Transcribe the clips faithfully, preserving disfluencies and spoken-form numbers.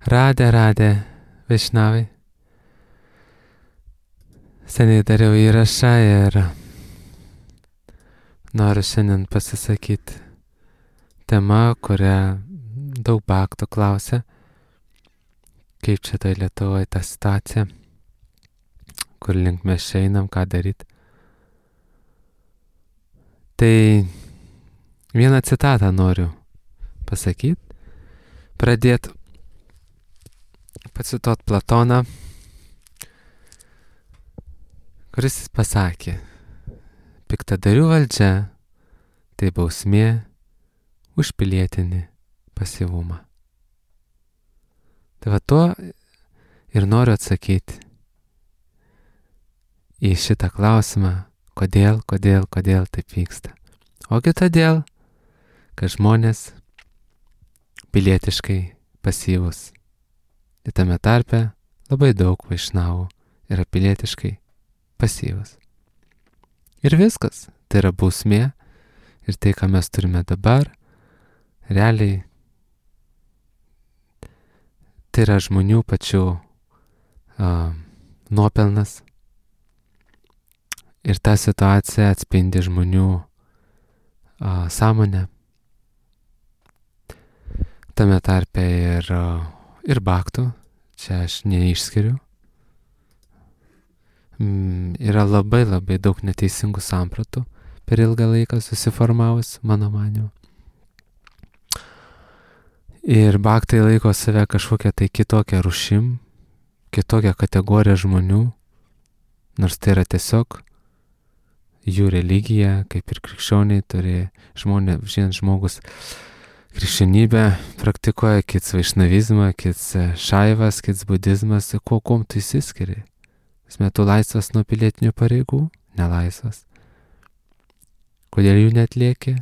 Radė, radė, Vaišnavai. Seniai dariau įrašą ir noriu šiandien pasisakyti tema, kurią daug baktų klausia, kaip čia tai Lietuvoje ta situacija, kur link mes einam, ką daryti. Tai vieną citatą noriu pasakyti, pradėti pacituot Platoną, kuris pasakė, piktadarių valdžia tai bausmė už pilietinį pasyvumą. Tai va tuo ir noriu atsakyti į šitą klausimą, kodėl, kodėl, kodėl taip vyksta. Ogi todėl, kad žmonės pilietiškai pasyvus. Ir tame tarpe labai daug vaišnavų yra pilietiškai pasyvus. Ir viskas, tai yra bausmė ir tai, ką mes turime dabar, realiai tai yra žmonių pačių uh, nuopelnas. Ir ta situacija atspindi žmonių uh, sąmonę. Tame tarpe ir, uh, ir baktų, čia aš neišskiriu. Mm, yra labai labai daug neteisingų sampratų per ilgą laiką susiformavus, mano manimu. Ir baktai laiko save kažkokią tai kitokią rūšim, kitokią kategoriją žmonių, nors tai yra tiesiog jų religija, kaip ir krikščioniai turi žmonės, vienas žmogus krikščionybę praktikuoja, kits vaišnavizmą, kits šaivas, kits budizmas, kuo kuom tu įsiskiri. Esmė, tu laisvas nuo pilietinių pareigų, nelaisvas. Kodėl jų netlieki?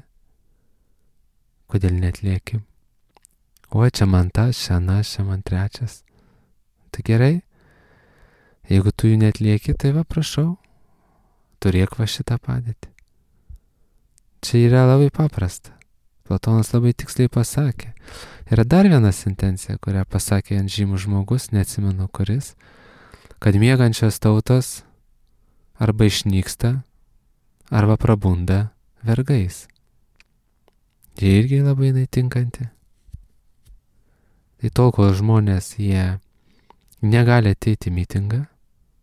Kodėl netlieki? O, čia man tas, čia anas, čia man trečias. Tai gerai, jeigu tu jų netlieki, tai va prašau, turėk va šitą padėtį. Čia yra labai paprasta. Platonas labai tiksliai pasakė. Yra dar viena sentencija, kurią pasakė ant žymų žmogus, neatsimenu kuris, kad miegančios tautos arba išnyksta, arba prabunda vergais. Jie irgi labai netinkanti. Tai tol, kol žmonės jie negali ateiti į mitingą,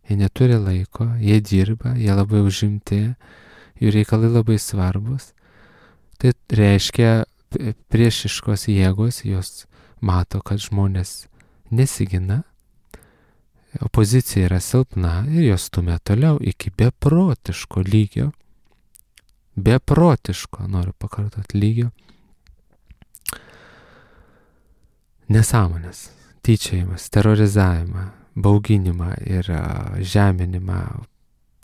jie neturi laiko, jie dirba, jie labai užimti, jų reikalai labai svarbus. Tai reiškia, priešiškos jėgos, jos mato, kad žmonės nesigina, opozicija yra silpna ir jos stumia toliau iki beprotiško lygio, beprotiško, noriu pakartoti, lygio, nesąmonės, tyčiojimas, terorizavimą, bauginimą ir žeminimą,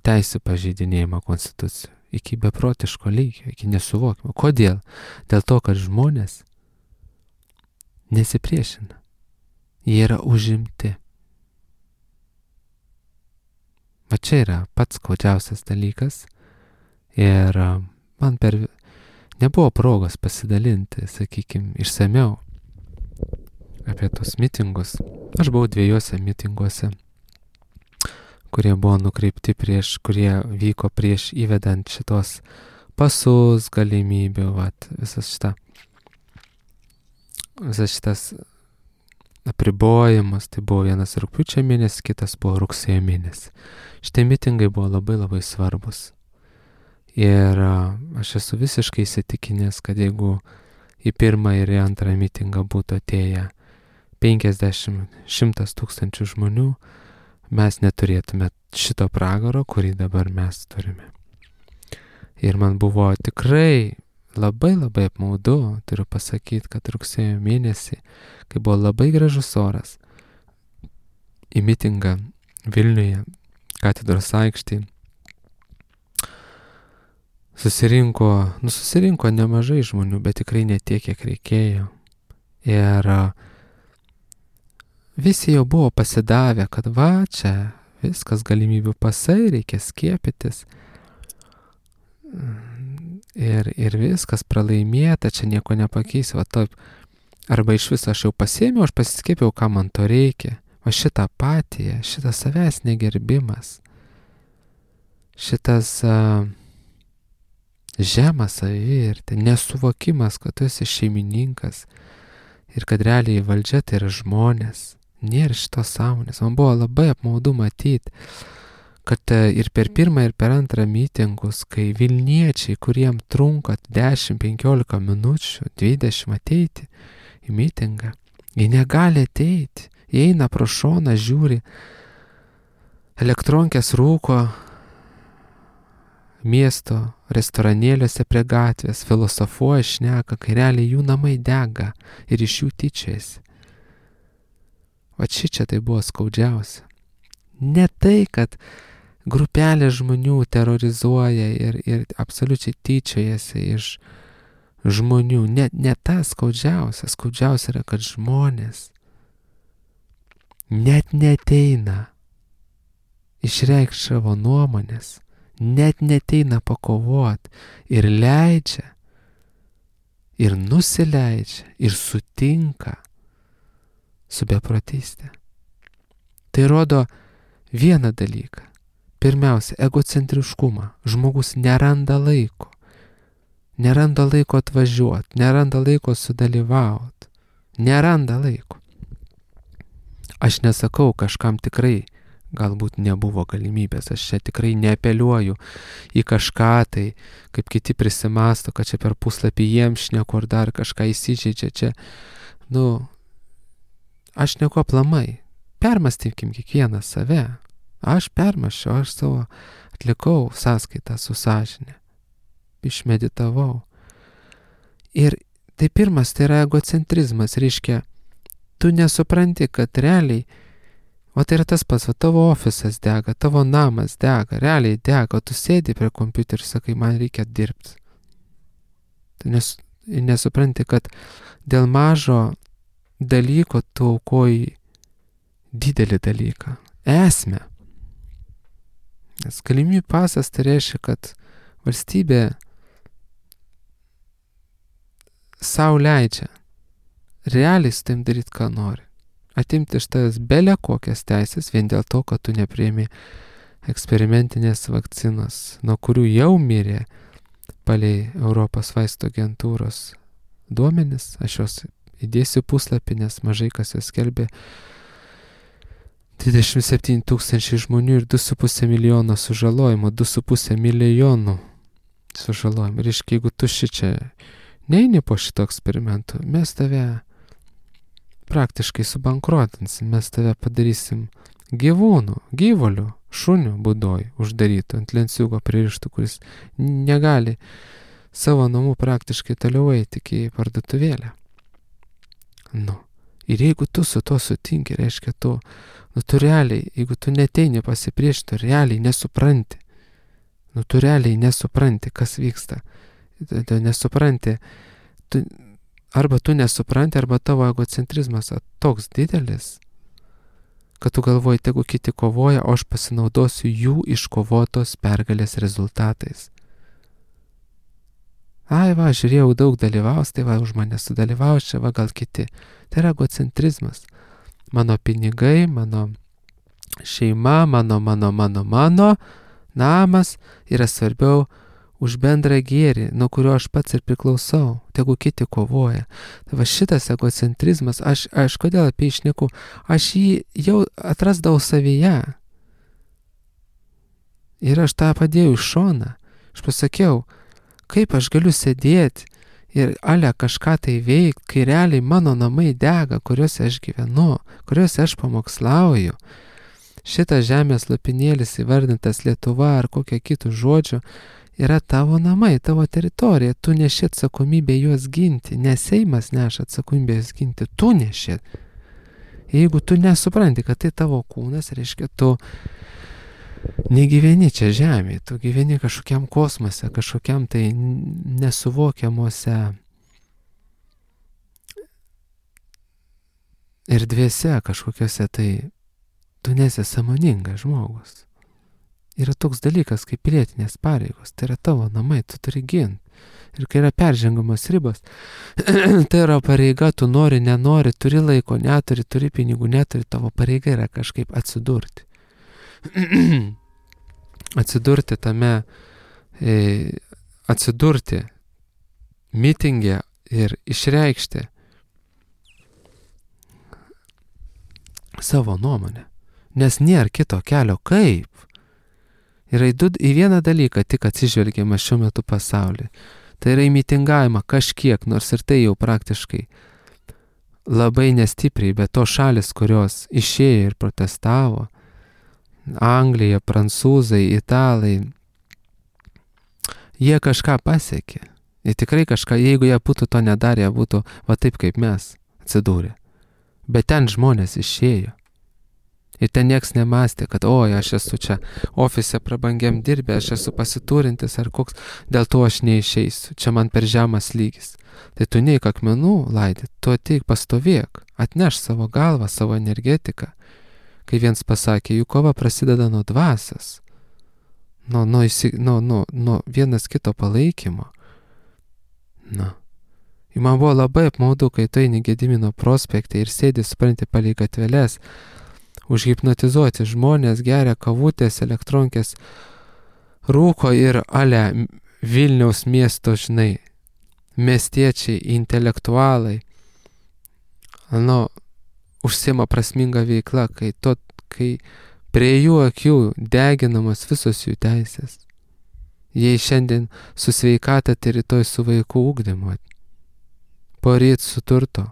teisų pažeidinėjimą konstitucijų. Iki beprotiško lygio, iki nesuvokimo. Kodėl? Dėl to, kad žmonės nesipriešina. Jie yra užimti. Va čia yra pats skaudžiausias dalykas. Ir man per nebuvo progos pasidalinti, sakykime, išsamiau apie tos mitingus. Aš buvau dviejose mitinguose, kurie buvo nukreipti prieš, kurie vyko prieš įvedant šitos pasus, galimybių, vat, visas šitą, visas šitas apribojimas, tai buvo vienas rugpjūčio mėnesį, kitas buvo rugsėjo mėnesį. Šitie mitingai buvo labai labai svarbus. Ir aš esu visiškai įsitikinęs, kad jeigu į pirmą ir į antrą mitingą būtų atėję penkiasdešimt šimtas tūkstančių žmonių, mes neturėtume šito pragaro, kurį dabar mes turime. Ir man buvo tikrai labai labai apmaudu, turiu pasakyti, kad rugsėjo mėnesį, kai buvo labai gražus oras, į mitingą Vilniuje, katedros aikštėje, susirinko, nu susirinko nemažai žmonių, bet tikrai ne tiek, kiek reikėjo. Ir visi jau buvo pasidavę, kad va čia viskas galimybių pasai, reikia skiepytis. Ir, ir viskas pralaimėta, čia nieko nepakeis. Va taip Arba iš viso aš jau pasėmiau, aš pasiskiepiau, ką man to reikia. O šitą apatiją, šitas savęs negerbimas, šitas uh, žemas savivertė, nesuvokimas, kad tu esi šeimininkas ir kad realiai valdžia tai yra žmonės. Nėra šitos sąmonės. Man buvo labai apmaudu matyti, kad ir per pirmą, ir per antrą mitingus, kai Vilniečiai, kuriem trunka dešimt penkiolika minučių, dvidešimt ateiti į mitingą, jie negali ateiti, jie eina pro šoną, žiūri, elektronkės rūko miesto restoranėliuose prie gatvės, filosofuoja, šneka, kai realiai jų namai dega ir iš jų tyčiasi. O šičia tai buvo skaudžiausia. Ne tai, kad grupelė žmonių terrorizuoja ir, ir absoliučiai tyčiojasi iš žmonių. Ne, ne ta skaudžiausia. Skaudžiausia yra, kad žmonės net neteina išreikšti savo nuomonės, net neteina pakovoti ir leidžia, ir nusileidžia, ir sutinka su beprotystė. Tai rodo vieną dalyką. Pirmiausia, egocentriškumą. Žmogus neranda laiko. Neranda laiko atvažiuoti, neranda laiko sudalyvauti. Neranda laiko. Aš nesakau, kažkam tikrai galbūt nebuvo galimybės. Aš čia tikrai neapeliuoju į kažką tai, kaip kiti prisimasto, kad čia per puslapį jiems šneku ar dar kažką įsižeidžia čia. Nu, aš neku aplamai. Permastykim kiekvieną save. Aš permaščiau, aš savo atlikau sąskaitą su sąžinė. Išmeditavau. Ir tai pirmas, tai yra egocentrizmas. Reiškia, tu nesupranti, kad realiai, o tai yra tas pats, o tavo ofisas dega, tavo namas dega, realiai dega, o tu sėdi prie kompiuterio ir sakai, man reikia dirbti. Tu nes, nesupranti, kad dėl mažo dalyko tu aukoji didelį dalyką, esmę. Nes galimybių pasas tai reiškia, kad valstybė sau leidžia realiai su tavim daryti, ką nori. Atimti iš tavęs bele kokias teisės vien dėl to, kad tu nepriimi eksperimentinės vakcinos, nuo kurių jau mirė palei Europos vaistų agentūros duomenis. Aš jos įdėsiu puslapį, nes mažai kas jos skelbė. dvidešimt septyni tūkstančiai žmonių ir du su puse milijono sužalojimo, du su puse milijonų sužalojimo. Ir iškai, jeigu tu šičia neini po šito eksperimentų, mes tave praktiškai subankrotinsim, mes tave padarysim gyvūnų, gyvulių, šunių būdoj uždarytų ant lenciūgo pririštų, kuris negali savo namų praktiškai toliau eiti iki parduotuvėlę. Nu, ir jeigu tu su to sutinki, reiškia tu, nu tu realiai, jeigu tu neteini pasipriešinti, tu realiai nesupranti. Nu tu realiai nesupranti, kas vyksta. Tu nesupranti, tu, arba tu nesupranti, arba tavo egocentrizmas toks didelis, kad tu galvoji, tegu kiti kovoja, o aš pasinaudosiu jų iškovotos pergalės rezultatais. Ai va, žiūrėjau, daug dalyvaus, tai va, už mane sudalyvaus, čia va, gal kiti. Tai yra egocentrizmas. Mano pinigai, mano šeima, mano, mano, mano, mano namas yra svarbiau už bendrą gėrį, nuo kurio aš pats ir priklausau, tegu kiti kovoja. Tai va šitas egocentrizmas, aš, aš kodėl apie jį šneku, aš jį jau atrasdavau savyje. Ir aš tą padėjau iš šoną. Aš pasakiau, kaip aš galiu sėdėti ir ale kažką tai veikti, kai realiai mano namai dega, kuriuose aš gyvenu, kuriuose aš pamokslauju. Šitas žemės lopinėlis įvardintas Lietuva ar kokia kitų žodžių yra tavo namai, tavo teritorija, tu neši atsakomybę juos ginti, ne Seimas neša atsakomybę juos ginti, tu neši. Jeigu tu nesupranti, kad tai tavo kūnas, reiškia, tu negyveni čia žemėje, tu gyveni kažkokiam kosmose, kažkokiam tai nesuvokiamuose erdvėse, kažkokiuose tai tu nesi sąmoningas žmogus. Yra toks dalykas kaip pilietinės pareigos, tai yra tavo namai, tu turi ginti. Ir kai yra peržengiamos ribos, tai yra pareiga, tu nori, nenori, turi laiko, neturi, turi pinigų, neturi, tavo pareiga yra kažkaip atsidurti. atsidurti tame, e, atsidurti mitinge ir išreikšti savo nuomonę. Nes nėra kito kelio kaip. Yra į, du, į vieną dalyką tik atsižvelgiama šiuo metu pasaulyje. Tai yra į mitingavimą kažkiek, nors ir tai jau praktiškai labai nestipriai, bet to šalis, kurios išėjo ir protestavo, Anglija, prancūzai, italai, jie kažką pasiekė. Jie tikrai kažką, jeigu jie būtų to nedarę, jie būtų va taip kaip mes atsidūrė. Bet ten žmonės išėjo. Ir ten nieks nemastė, kad oi, aš esu čia ofise prabangiam dirbę, aš esu pasiturintis ar koks, dėl to aš neišeisiu, čia man per žemas lygis. Tai tu neik akmenų laidyti, tu ateik pastovėk, atneš savo galvą, savo energetiką. Kai viens pasakė, jų kova prasideda nuo dvasios, nuo, nuo, nuo, nuo, nuo vienas kito palaikymo. Na. Ir man buvo labai apmaudu, kai tu eini Gedimino prospekte ir sėdi, supranti, palei gatveles, užhipnotizuoti žmonės, geria kavutės, elektronkės, rūko ir ale Vilniaus miesto, žinai, miestiečiai, intelektualai, nu, užsiima prasminga veikla, kai, to, kai prie jų akių deginamos visos jų teisės. Jei šiandien su sveikata, tai rytoj su vaikų ugdymu, poryt su turto,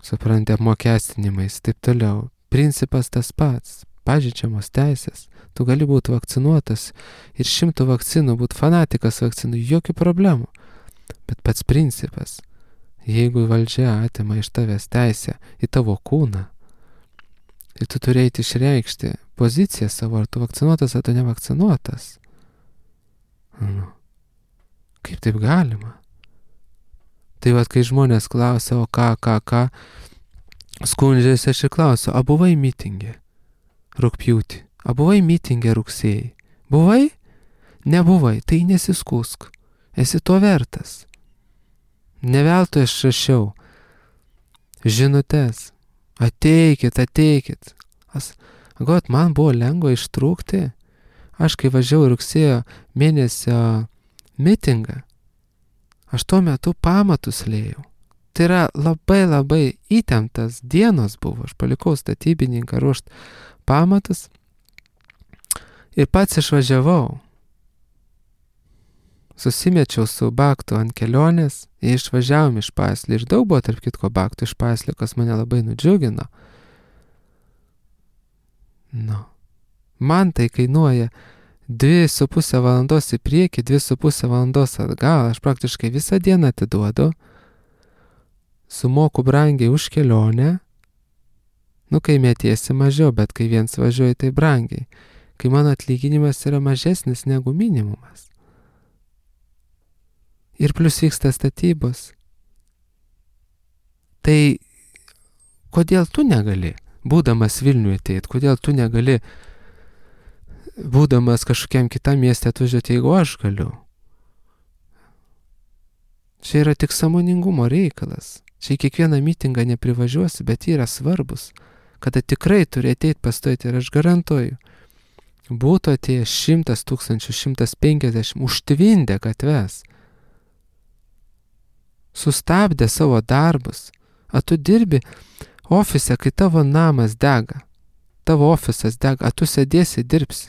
supranti, apmokestinimais, taip toliau. Principas tas pats, pažeidžiamos teisės. Tu gali būti vakcinuotas ir šimtų vakcinų, būti fanatikas vakcinų, jokių problemų. Bet pats principas, jeigu valdžia atima iš tavęs teisę į tavo kūną, tai tu turėjai išreikšti poziciją savo, ar tu vakcinuotas, ar tu nevakcinuotas. Nu, kaip taip galima? Tai vat, kai žmonės klausia, o ką, ką, ką, skundžiasi, aš ir klausiu, a buvai mitingė rugpjūtį, a buvai mitingė rugsėjai? Buvai? Nebuvai, tai nesiskūsk, esi to vertas. Neveltui aš rašiau žinutes, ateikit, ateikit. As, got, man buvo lengva ištrūkti, aš kai važiavau rugsėjo mėnesio mitingą, aš tuo metu pamatus liejau. Tai yra labai labai įtemptas dienos buvo. Aš palikau statybininką ruošt pamatus ir pats išvažiavau. Susimečiau su Baktu ant kelionės ir išvažiavom iš Paslio. Ir daug buvo tarp kitko Baktų iš Paslio, kas mane labai nudžiugino. Nu. Man tai kainuoja dvi su pusę valandos į priekį, dvi su pusę valandos atgal. Aš praktiškai visą dieną atiduodu, sumoku brangiai už kelionę, nu kai metiesi mažiau, bet kai viens važiuoja, tai brangiai, kai mano atlyginimas yra mažesnis negu minimumas. Ir plus vyksta statybos. Tai kodėl tu negali, būdamas Vilniuje ateit, kodėl tu negali būdamas kažkokiam kitam mieste atvažiuoti, jeigu aš galiu. Čia yra tik sąmoningumo reikalas. Čia į kiekvieną mitingą neprivažiuosi, bet yra svarbus, kada tikrai turi ateiti pastovėti ir aš garantuoju. Būtų atėjęs šimtas tūkstančių, šimtas penkiasdešimt, užtvindę gatves, sustabdė savo darbus, a tu dirbi ofise, kai tavo namas dega, tavo ofisas dega, a tu sėdėsi dirbsi.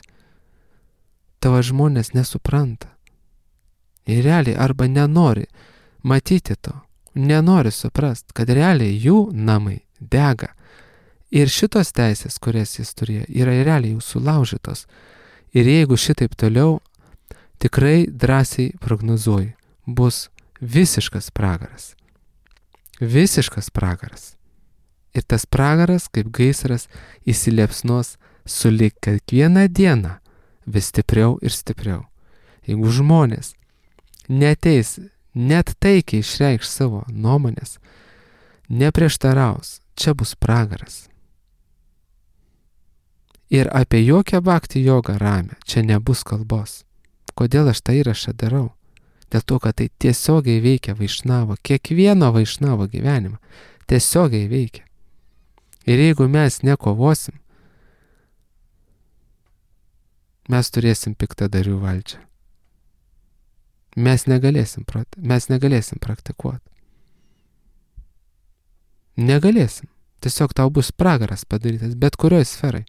Tavo žmonės nesupranta. Ir realiai arba nenori matyti to, nenori suprast, kad realiai jų namai dega. Ir šitos teisės, kurias jis turėjo, yra realiai jau sulaužytos. Ir jeigu šitaip toliau, tikrai drąsiai prognozuoju, bus visiškas pragaras. Visiškas pragaras. Ir tas pragaras, kaip gaisras, įsiliepsnos sulig kiekvieną dieną vis stipriau ir stipriau. Jeigu žmonės neateis, net taikiai išreikš savo nuomonės, neprieštaraus, čia bus pragaras. Ir apie jokią bhakti jogą ramę čia nebus kalbos. Kodėl aš tą įrašą darau? Dėl to, kad tai tiesiogiai veikia Vaišnavo, kiekvieno Vaišnavo gyvenimą. Tiesiogiai veikia. Ir jeigu mes nekovosim, mes turėsim piktadarių valdžią. Mes negalėsim, mes negalėsim praktikuoti. Negalėsim. Tiesiog tau bus pragaras padarytas, bet kurioje sferai.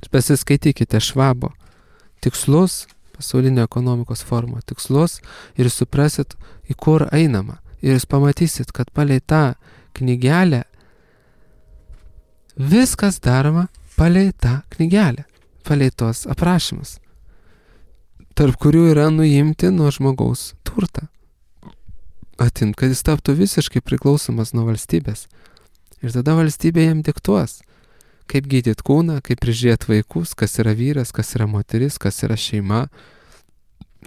Pasiskaitykite Švabo tikslus, pasaulinio ekonomikos forumo tikslus ir suprasit, į kur einama. Ir jūs pamatysit, kad palei tą knygelę viskas daroma palei tą knygelę, palei tos aprašymus, tarp kurių yra nuimti nuo žmogaus turtą. Atimt, kad jis taptų visiškai priklausomas nuo valstybės. Ir tada valstybė jam diktuos, kaip gydyti kūną, kaip prižiūrėti vaikus, kas yra vyras, kas yra moteris, kas yra šeima,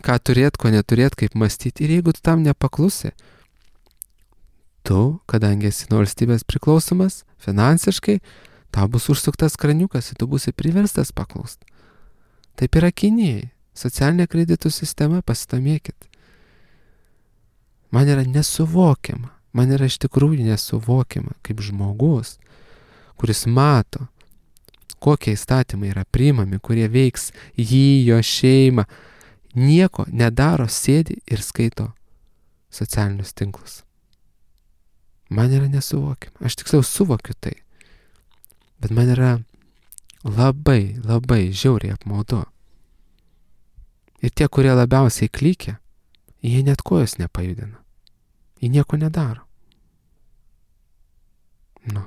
ką turėt, ko neturėt, kaip mąstyti. Ir jeigu tu tam nepaklusi, tu, kadangi esi nuo valstybės priklausomas finansiškai, tau bus užsuktas kraniukas ir tu būsi priverstas paklausti. Taip yra Kinijai. Socialinė kreditų sistema, pasidomėkit. Man yra nesuvokiama, man yra iš tikrųjų nesuvokiama, kaip žmogus, kuris mato, kokie įstatymai yra priimami, kurie veiks jį, jo šeimą, nieko nedaro, sėdi ir skaito socialinius tinklus. Man yra nesuvokiama, aš tiksliau suvokiu tai, bet man yra labai, labai žiauriai apmaudu. Ir tie, kurie labiausiai klykia, jie net kojos nepajudina. Jie nieko nedaro. Nu.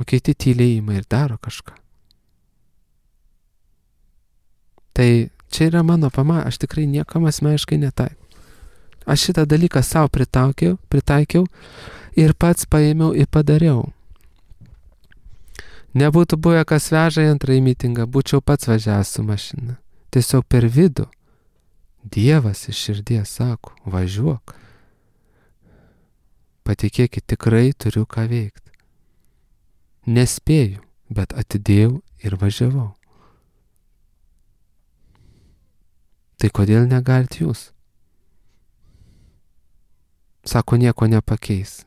O kiti tyliai ima ir daro kažką. Tai čia yra mano pama, aš tikrai niekam asmeniškai netaikau. Aš šitą dalyką savo pritaikiau, pritaikiau ir pats paėmiau ir padariau. Nebūtų buvę, kas veža į antrąjį mitingą, būčiau pats važiavęs su mašina. Tiesiog per vidų. Dievas iš širdies sako, važiuok. Patikėkit, tikrai turiu ką veikti. Nespėjau, bet atidėjau ir važiavau. Tai kodėl negalit jūs? Sako, nieko nepakeis,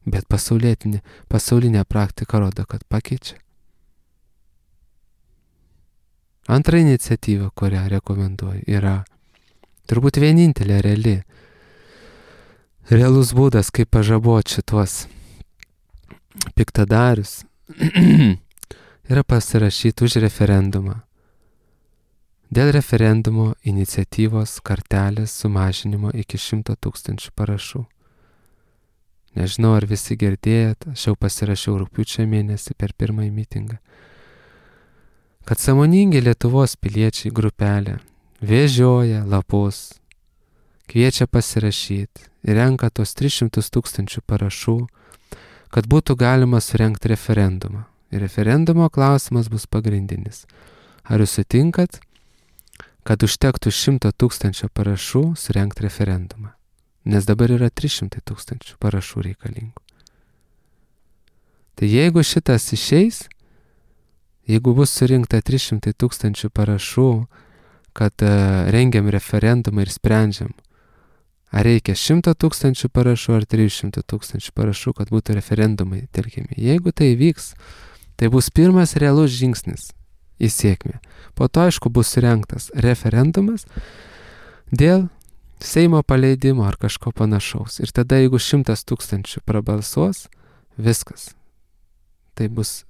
bet pasaulinė, pasaulinė praktika rodo, kad pakeičia. Antra iniciatyva, kurią rekomenduoju, yra turbūt vienintelė reali, realus būdas, kaip pažaboti šitos piktadarius, yra pasirašyti už referendumą. Dėl referendumo iniciatyvos kartelės sumažinimo iki šimto tūkstančių parašų. Nežinau, ar visi girdėjot, aš jau pasirašiau rugpjūčio mėnesį per pirmąjį mitingą, kad sąmoningi Lietuvos piliečiai grupelė vežioja lapus, kviečia pasirašyti ir renka tos tris šimtus tūkstančių parašų, kad būtų galima surengti referendumą. Ir referendumo klausimas bus pagrindinis. Ar jūs sutinkat, kad užtektų šimto tūkstančių parašų surengti referendumą? Nes dabar yra trys šimtai tūkstančių parašų reikalingų. Tai jeigu šitas išeis, jeigu bus surinkta trys šimtai tūkstančių parašų, kad uh, rengiam referendumą ir sprendžiam, ar reikia šimto tūkstančių parašų ar trijų šimtų tūkstančių parašų, kad būtų referendumai telkiami. Jeigu tai vyks, tai bus pirmas realus žingsnis į sėkmę. Po to, aišku, bus surengtas referendumas dėl Seimo paleidimo ar kažko panašaus. Ir tada, jeigu šimtas tūkstančių prabalsuos, viskas. Tai bus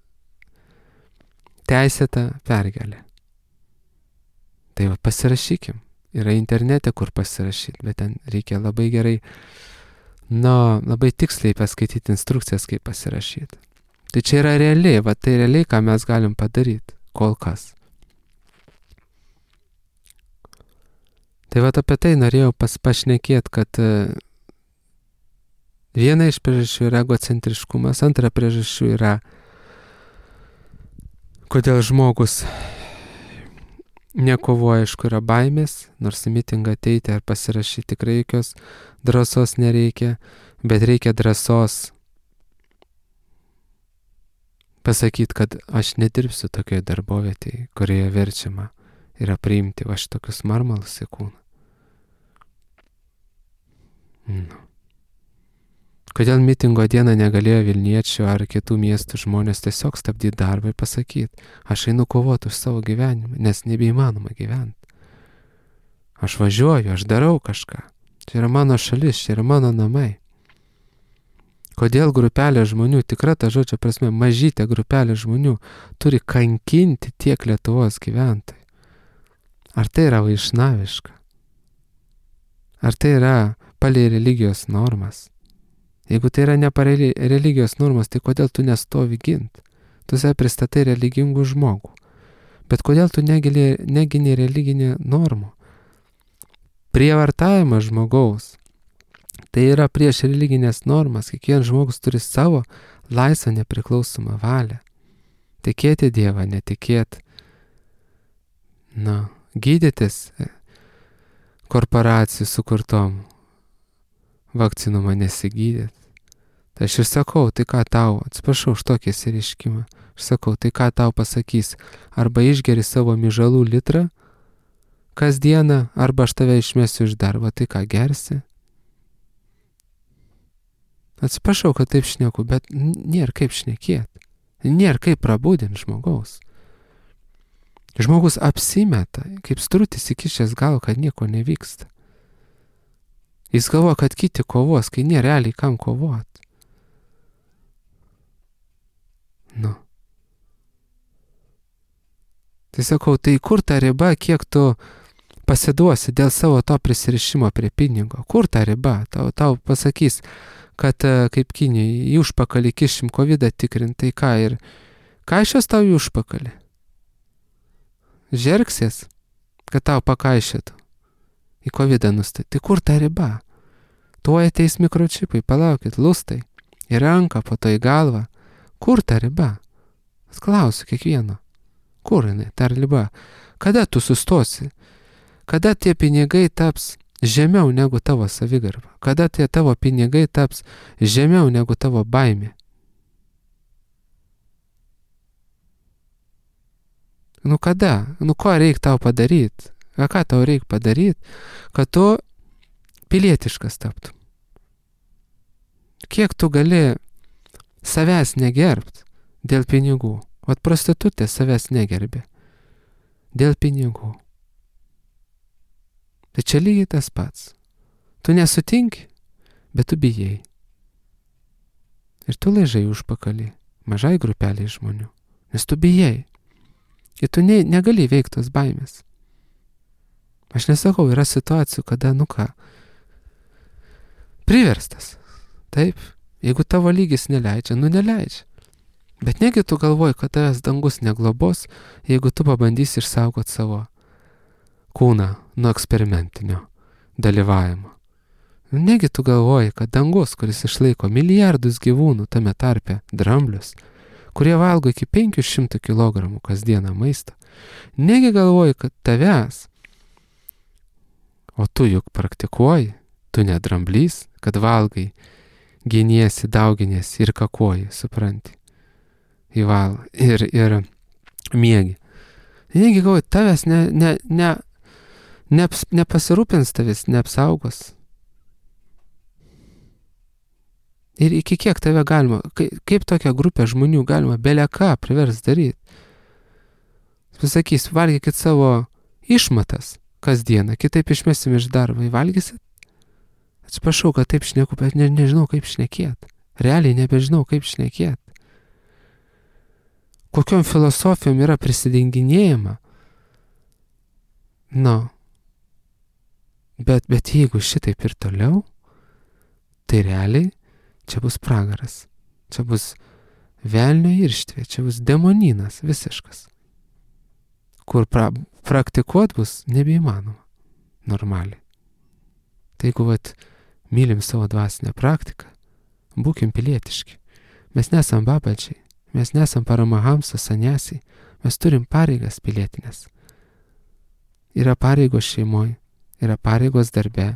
teisėta pergalė. Tai va, pasirašykim. Yra internete, kur pasirašyti, bet ten reikia labai gerai, nu, labai tiksliai paskaityti instrukcijas, kaip pasirašyti. Tai čia yra realiai, va tai realiai, ką mes galim padaryti, kol kas. Tai va apie tai norėjau pašnekėti, kad viena iš priežasčių yra egocentriškumas, antra priežasčių yra, kodėl žmogus nekovoja, aišku, yra baimės, nors į mitingą ateiti ar pasirašyti tikrai jokios drąsos nereikia, bet reikia drąsos pasakyti, kad aš nedirbsiu tokioje darbovietėje, kurioje verčiama yra priimti va šitokius marmalus į kūną. Nu. Kodėl mitingo dieną negalėjo Vilniečių ar kitų miestų žmonės tiesiog stabdyti darbą ir pasakyti, aš einu kovoti už savo gyvenimą, nes nebeįmanoma gyventi. Aš važiuoju, aš darau kažką. Čia yra mano šalis, čia yra mano namai. Kodėl grupelė žmonių, tikra ta žodžio prasme, mažytė grupelė žmonių turi kankinti tiek Lietuvos gyventojų? Ar tai yra vaišnaviška? Ar tai yra palei religijos normas? Jeigu tai yra ne palei religijos normas, tai kodėl tu nestovi gint? Tu save pristatai religingų žmogų. Bet kodėl tu negini, negini religinį normų? Prievartavimas žmogaus. Tai yra prieš religinės normas. Kiekvienas žmogus turi savo laisvą nepriklausomą valią. Tikėti Dievą, netikėti. Na, gydytis korporacijų sukurtom vakcinumą nesigydėt. Tai aš ir sakau, tai ką tau, atsiprašau už tokį įsireiškimą, aš sakau, tai ką tau pasakys, arba išgeri savo mižalų litrą kasdieną, arba aš tave išmesiu iš darbo, tai ką gersi? Atsiprašau, kad taip šneku, bet nėra kaip šnekėti, nėra kaip prabudinti žmogaus. Žmogus apsimeta, kaip strutis įkišęs galvą, kad nieko nevyksta. Jis galvoja, kad kiti kovos, kai nėra realiai kam kovoti. Nu. Tai sakau, tai kur ta riba, kiek tu pasiduosi dėl savo to prisirišimo prie pinigo? Kur ta riba? Tau, tau pasakys, kad kaip Kinijai į užpakalį kišim kovidą tikrinti, tai ką ir ką iš jos tau į užpakalį? Žergsies, kad tau pakaišėtų į kovidą nustatyti. Tai kur ta riba? Tuoj ateis mikročipai, palaukit, lustai, į ranką, po to į galvą. Kur ta riba? Klausiu kiekvieno. Kur jinai, ta riba? Kada tu sustosi? Kada tie pinigai taps žemiau negu tavo savigarba? Kada tie tavo pinigai taps žemiau negu tavo baimė? Nu kada? Nu ko reikia tau padaryti? A ką tau reikia padaryti, kad tu pilietiškas taptum? Kiek tu gali savęs negerbt dėl pinigų? Vat prostitutė savęs negerbė dėl pinigų. Tai čia lygiai tas pats. Tu nesutinki, bet tu bijai. Ir tu laižai užpakalį mažai grupeliai žmonių, nes tu bijai. Ir tu ne, negali veikti tos baimės. Aš nesakau, yra situacijų, kada, nu ką, priverstas. Taip, jeigu tavo lygis neleidžia, nu neleidžia. Bet negi tu galvoji, kad tavęs dangus neglobos, jeigu tu pabandysi išsaugoti savo kūną nuo eksperimentinio dalyvavimo. Negi tu galvoji, kad dangus, kuris išlaiko milijardus gyvūnų, tame tarpe dramblius, kurie valgo iki penkių šimtų kilogramų kasdieną maisto, negi galvoji, kad tavęs, o tu juk praktikuoji, tu ne dramblys, kad valgai, giniesi, dauginiesi ir kakoji, supranti, įval ir, ir miegi. Negi galvoji, tavęs ne, ne, ne, ne, nepasirūpins tavęs, neapsaugos. Ir iki kiek tave galima, kaip, kaip tokią grupę žmonių galima bele ką privers daryti. Pasakys, valgykit savo išmatas kasdieną, kitaip išmesim iš darbo, valgysit? Atsiprašau, kad taip šneku, bet ne, nežinau, kaip šnekėt. Realiai nebežinau, kaip šnekėt. Kokiom filosofijom yra prisidenginėjama? Nu. Bet, bet jeigu šitaip ir toliau, tai realiai čia bus pragaras. Čia bus velnio irštvė, čia bus demoninas visiškas. Kur pra, praktikuot bus nebeįmanoma. Normaliai. Tai jeigu vat, mylim savo dvasinę praktiką, būkim pilietiški. Mes nesam babačiai, mes nesam paramahamsa saniasiai, mes turim pareigas pilietinės. Yra pareigos šeimoje, yra pareigos darbe,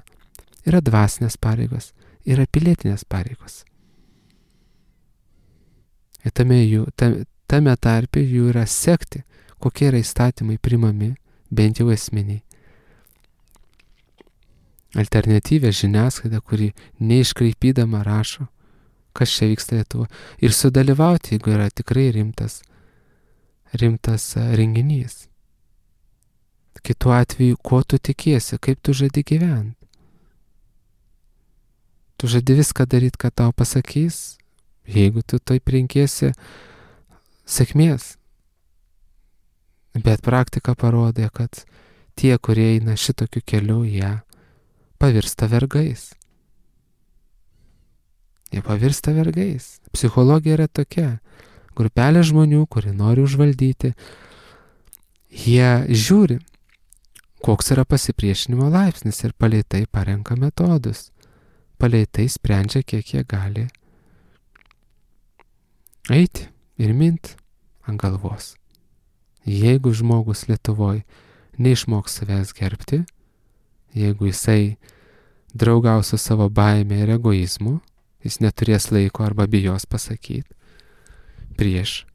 yra dvasinės pareigos, yra pilietinės pareigos. Ir tame, jų, tame, tame tarpe jų yra sekti, kokie yra įstatymai primami, bent jau esminiai. alternatyvę žiniasklaidą, kuri neiškraipydama rašo, kas čia vyksta Lietuvoje. Ir sudalyvauti, jeigu yra tikrai rimtas, rimtas renginys. Kitu atveju, ko tu tikiesi, kaip tu žadi gyventi. Tu žadi viską daryti, ką tau pasakys, jeigu tu taip renkiesi sėkmės. Bet praktika parodė, kad tie, kurie eina šitokiu keliu, jie pavirsta vergais. Jie pavirsta vergais. Psichologija yra tokia. Grupelė žmonių, kurie nori užvaldyti, jie žiūri, koks yra pasipriešinimo laipsnis ir palei tai parenka metodus. Palei tai sprendžia, kiek jie gali eiti ir minti ant galvos. Jeigu žmogus Lietuvoje neišmoks savęs gerbti, jeigu jisai draugaus su savo baime ir egoizmu, jis neturės laiko arba bijos pasakyti, prieš,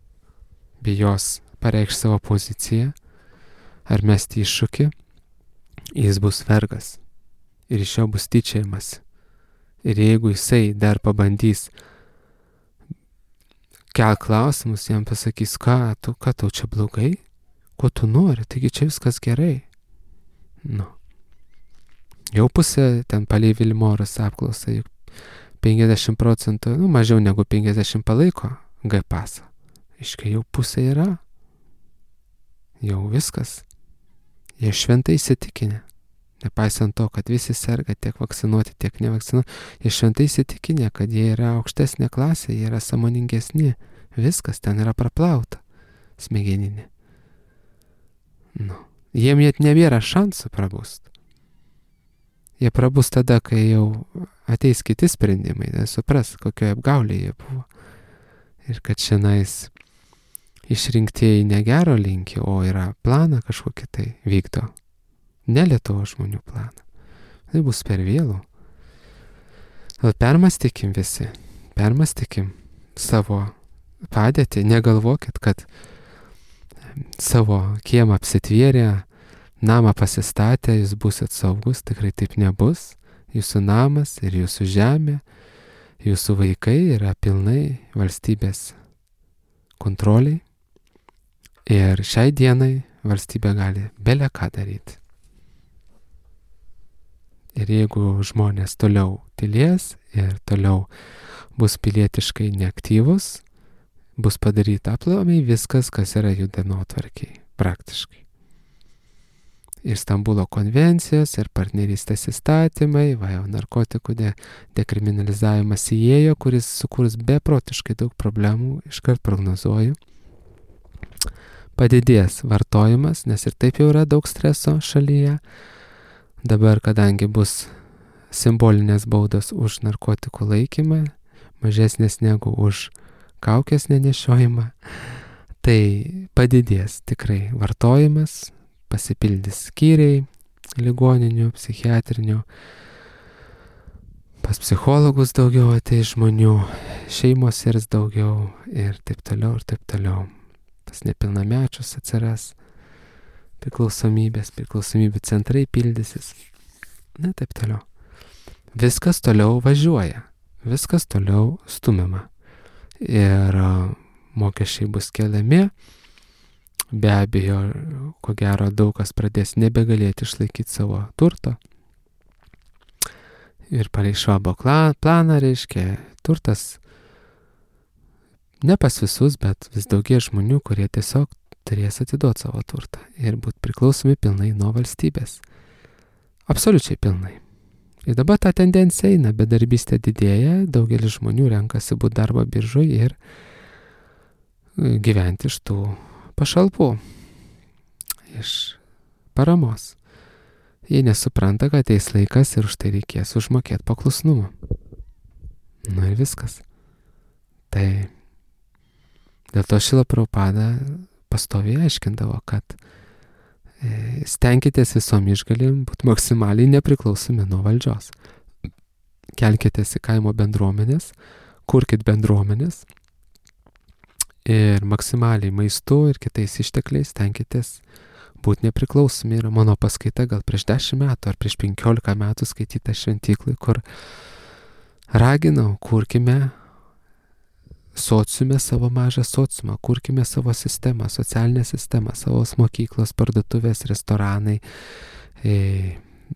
bijos pareikšti savo poziciją, ar mesti iššūkį, jis bus vergas ir iš jo bus tyčiajimas. Ir jeigu jisai dar pabandys kel klausimus, jam pasakys, ką tu, ką tau čia blogai, ko tu nori, taigi čia viskas gerai. Nu. Jau pusė ten palei Vilmorus apklausą, juk penkiasdešimt procentų, nu mažiau negu penkiasdešimt palaiko G pasą. Iškai jau pusė yra. Jau viskas. Jie šventai įsitikinę. Nepaisant to, kad visi serga tiek vakcinuoti, tiek nevakcinuoti, jie šventai įsitikinę, kad jie yra aukštesnė klasė, jie yra sąmoningesni. Viskas ten yra praplauta smegeninė. Nu. Jiem net nebėra šansų prabust. Jie prabus tada, kai jau ateis kiti sprendimai, tai supras, kokioje apgaulėje jie buvo. Ir kad šiandien išrinktieji negero linki, o yra planą kažkokį tai vykdo. Ne Lietuvos žmonių planą. Tai bus per vėlų. Permąstykim visi. Permąstykim savo padėtį. Negalvokit, kad savo kiemą apsitvėrę, namą pasistatę, jūs busit saugus. Tikrai taip nebus. Jūsų namas ir jūsų žemė, jūsų vaikai yra pilnai valstybės kontroliai. Ir šiai dienai valstybė gali bele ką daryti. Ir jeigu žmonės toliau tylės ir toliau bus pilietiškai neaktyvus, bus padaryta aplamai viskas, kas yra jų dienotvarkėj, praktiškai. Ir Stambulo konvencijos, ir partnerystės įstatymai, va jau narkotikų de, dekriminalizavimas įėjo, kuris sukurs beprotiškai daug problemų, iškart prognozuoju. Padidės vartojimas, nes ir taip jau yra daug streso šalyje. Dabar, kadangi bus simbolinės baudos už narkotikų laikymą, mažesnės negu už kaukės nenešiojimą, tai padidės tikrai vartojimas, pasipildys skyriai ligoninių, psichiatrinių, pas psichologus daugiau ateis žmonių, šeimos irs daugiau ir taip toliau ir taip toliau. Pas nepilnamečius atsiras priklausomybės, priklausomybių centrai pildysis. Na, taip toliau. Viskas toliau važiuoja. Viskas toliau stumiama. Ir mokesčiai bus keliami. Be abejo, ko gero, daug kas pradės nebegalėti išlaikyti savo turto. Ir palei Švabo planą, reiškia, turtas ne pas visus, bet vis daugie žmonių, kurie tiesiog turės atiduoti savo turtą ir būti priklausomi pilnai nuo valstybės. Absoliučiai pilnai. Ir dabar ta tendencija eina, bedarbystė didėja, daugelis žmonių renkasi būti darbo biržoje ir gyventi iš tų pašalpų, iš paramos. Jie nesupranta, kad ateis laikas ir už tai reikės užmokėti paklusnumą. Na ir viskas. Tai dėl to Šrila Prabhupada pastoviai aiškindavo, kad e, stenkitės visom išgalim būti maksimaliai nepriklausomi nuo valdžios. Kelkitės į kaimo bendruomenės, kurkit bendruomenės ir maksimaliai maistu ir kitais ištekliais stenkitės būti nepriklausomi yra mano paskaita gal prieš dešimt metų ar prieš penkiolika metų skaityta šventyklai, kur raginau, kurkime sociume savo mažą sociumą, kurkime savo sistemą, socialinę sistemą, savo mokyklos, parduotuvės, restoranai, e,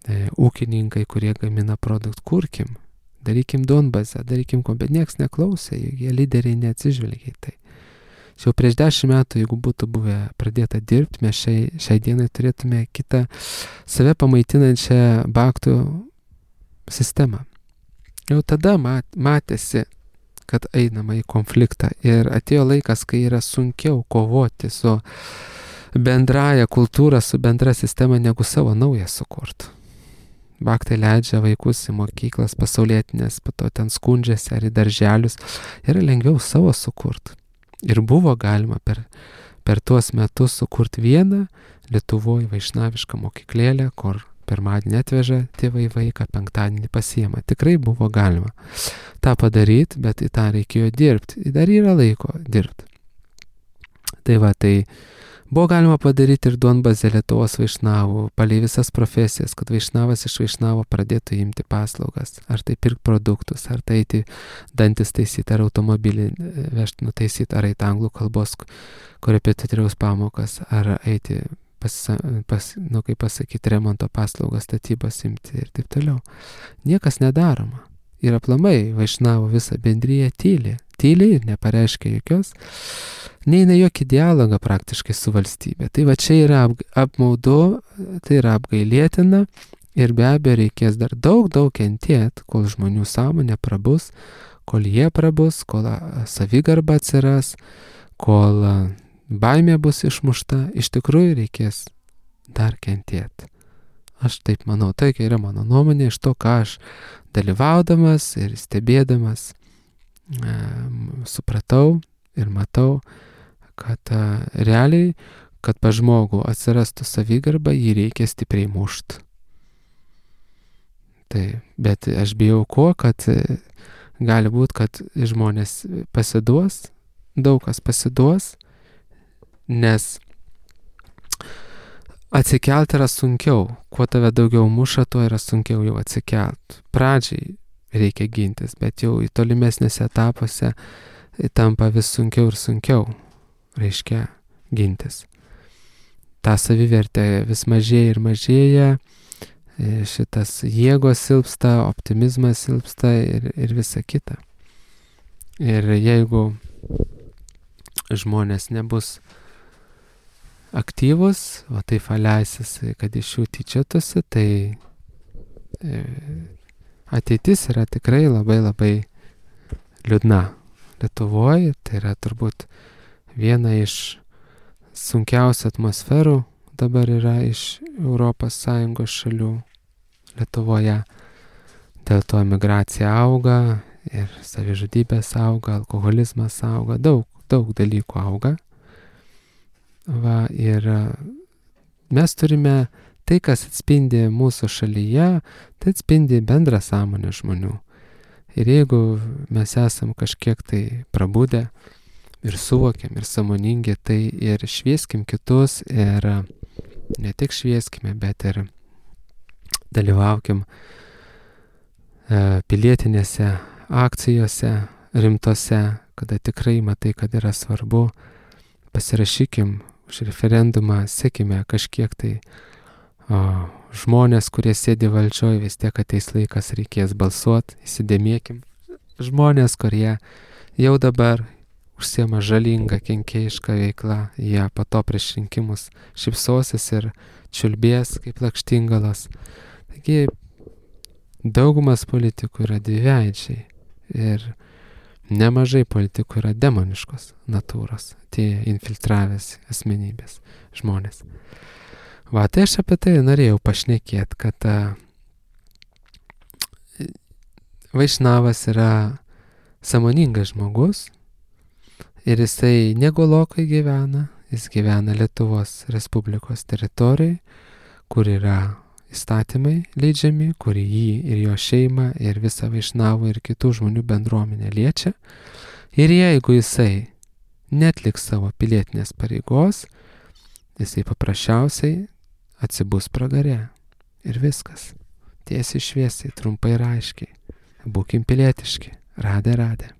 e, ūkininkai, kurie gamina produktą, kurkim, darykim duonbazę, darykim ko, bet nieks neklausė, jie lyderiai neatsižvelgia į tai. Jau prieš dešimt metų, jeigu būtų buvę pradėta dirbti, mes šiai, šiai dienai turėtume kitą save pamaitinančią baktų sistemą. Jau tada mat, matėsi, kad einama į konfliktą ir atėjo laikas, kai yra sunkiau kovoti su bendraja kultūra, su bendra sistema, negu savo naują sukurti. Baktai leidžia vaikus į mokyklas pasaulietinės, po to ten skundžiasi ar į darželius, yra lengviau savo sukurti. Ir buvo galima per, per tuos metus sukurti vieną Lietuvoje vaišnavišką mokyklėlę, kur pirmadienį atveža tėvai vaiką, penktadienį pasiema. Tikrai buvo galima tą padaryti, bet į tą reikėjo dirbti. Dar yra laiko dirbti. Tai va, tai buvo galima padaryti ir duonbazę Lietuvos vaišnavų, palei visas profesijas, kad vaišnavas iš vaišnavo pradėtų imti paslaugas, ar tai pirkti produktus, ar tai eiti dantis taisyti, ar automobilį vežti nutaisyti, ar eiti anglų kalbos korepetitoriaus pamokas, ar eiti pas, pas, nu, kaip pasakyti, remonto paslaugas, statybas imti ir taip toliau. Niekas nedaroma. Ir aplamai vaišnavo visą bendryje tyliai. Tyliai ir nepareiškia jokios, neina jokį dialogą praktiškai su valstybė. Tai va čia yra ap, apmaudu, tai yra apgailėtina ir be abejo reikės dar daug, daug kentėti, kol žmonių sąmonė prabus, kol jie prabus, kol savigarba atsiras, kol baimė bus išmušta, iš tikrųjų reikės dar kentėti. Aš taip manau, tai yra mano nuomonė iš to, ką aš dalyvaudamas ir stebėdamas e, supratau ir matau, kad e, realiai, kad pa žmogų atsirastų savigarba, jį reikia stipriai mušti. Tai, bet aš bijau ko, kad e, gali būti, kad žmonės pasiduos, daug kas pasiduos, nes atsikelt yra sunkiau. Kuo tave daugiau muša, tuo yra sunkiau jau atsikelt. Pradžiai reikia gintis, bet jau į tolimesnėse etapuose tampa vis sunkiau ir sunkiau, reiškia, gintis. Ta savivertė vis mažėja ir mažėja, šitas jėgos silpsta, optimizmas silpsta ir, ir visa kita. Ir jeigu žmonės nebus aktyvus, o taip leisis, kad iš jų tyčiotųsi, tai ateitis yra tikrai labai labai liūdna. Lietuvoje tai yra turbūt viena iš sunkiausių atmosferų dabar yra iš Europos Sąjungos šalių Lietuvoje. Dėl to migracija auga ir savižudybės auga, alkoholizmas auga, daug, daug dalykų auga. Va, ir mes turime tai, kas atspindi mūsų šalyje, tai atspindi bendrą sąmonę žmonių. Ir jeigu mes esam kažkiek tai prabudę ir suvokiam ir sąmoningi, tai ir švieskim kitus ir ne tik švieskime, bet ir dalyvaukim pilietinėse akcijose rimtose, kada tikrai matai, kad yra svarbu, pasirašykim už referendumą, sekime kažkiek tai o, žmonės, kurie sėdi valdžioje, vis tiek ateis laikas, reikės balsuoti, įsidėmėkim. Žmonės, kurie jau dabar užsiema žalingą, kenkėjišką veiklą, jie po to prieš rinkimus šypsosis ir čiulbės kaip lakštingalos. Taigi daugumas politikų yra dviveidžiai ir nemažai politikų yra demoniškos natūros, tie infiltravęs asmenybės žmonės. Va, tai aš apie tai norėjau pašnekėti, kad a, vaišnavas yra sąmoningas žmogus ir jisai negolokai gyvena, jis gyvena Lietuvos Respublikos teritorijoje, kur yra įstatymai leidžiami, kuri jį ir jo šeimą ir visą vaišnavų ir kitų žmonių bendruomenę liečia. Ir jeigu jisai netliks savo pilietinės pareigos, Jisai paprasčiausiai atsibus pragare. Ir viskas. Tiesiai šviesiai, trumpai ir aiškiai. Būkim pilietiški. Radė, radė.